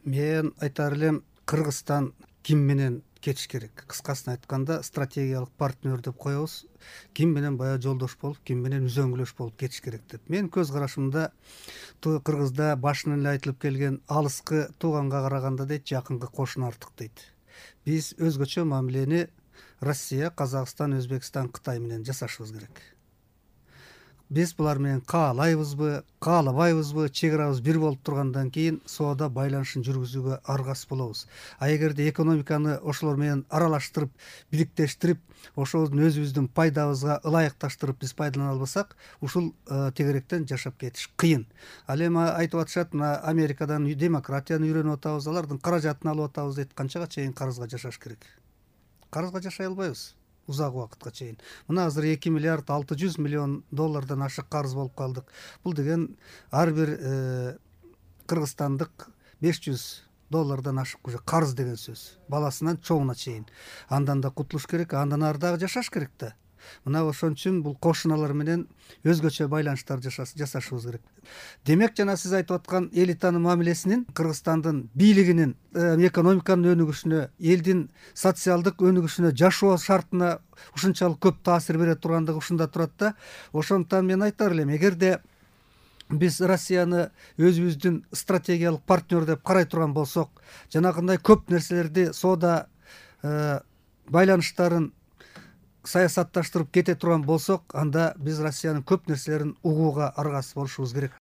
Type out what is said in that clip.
Мен айтар элем, Кыргызстан ким менен кетиш керек? Кыскасын айтканда, стратегиялык партнер деп коебуз. Ким менен баягы жолдош болуп, ким менен үзөңгүлөш болуп кетиш керек деп. Менин көз карашымда Кыргызда башынан эле айтылып келген алыскы тууганга караганда дейт, жакынкы кошуна артык дейт. Биз өзгөчө мамилени Россия, Казакстан, Өзбекстан, Кытай менен жасашыбыз керек. Биз булар менен каалайбызбы, каалабайбызбы, чек арабыз бир болуп тургандан кийин соода байланышын жүргүзүүгө аргасыз болобуз. А эгерде экономиканы ошолор менен аралаштырып, бириктештирип, ошобуздун өзүбүздүн пайдабызга ылайыкташтырып биз пайдалана албасак, ушул тегеректен жашап кетиш кыйын. Ал эми айтып атышат, мына Америкадан демократияны үйрөнүп атабыз, алардын каражатын алып атабыз дейт. Канчага чейин карызга жашаш керек? Карызга жашай албайбыз узак убакытка чейин. Мына азыр 2 миллиард 600 миллион доллардан ашык карыз болуп калдык. Бул деген ар бир кыргызстандык 500 доллардан ашык уже карыз деген сөз. Баласынан чоңуна чейин. Андан да кутулуш керек, андан ары дагы жашаш керек да. Мына ошон үчүн бул кошуналар менен өзгөчө байланыштар жасашыбыз керек. Демек, жана сиз айтып аткан элитанын мамилесинин, Кыргызстандын бийлигинин экономиканын өнүгүшүнө, элдин социалдык өнүгүшүнө, жашоо шартына ушунчалык көп таасир бере тургандыгы ушунда турат да. Ошондуктан мен айтар элем, эгерде биз Россияны өзүбүздүн стратегиялык партнер деп карай турган болсок, жанагындай көп нерселерди, соода байланыштарын саясатташтырып кете турган болсок, анда биз Россиянын көп нерселерин угууга аргасыз болушубуз керек.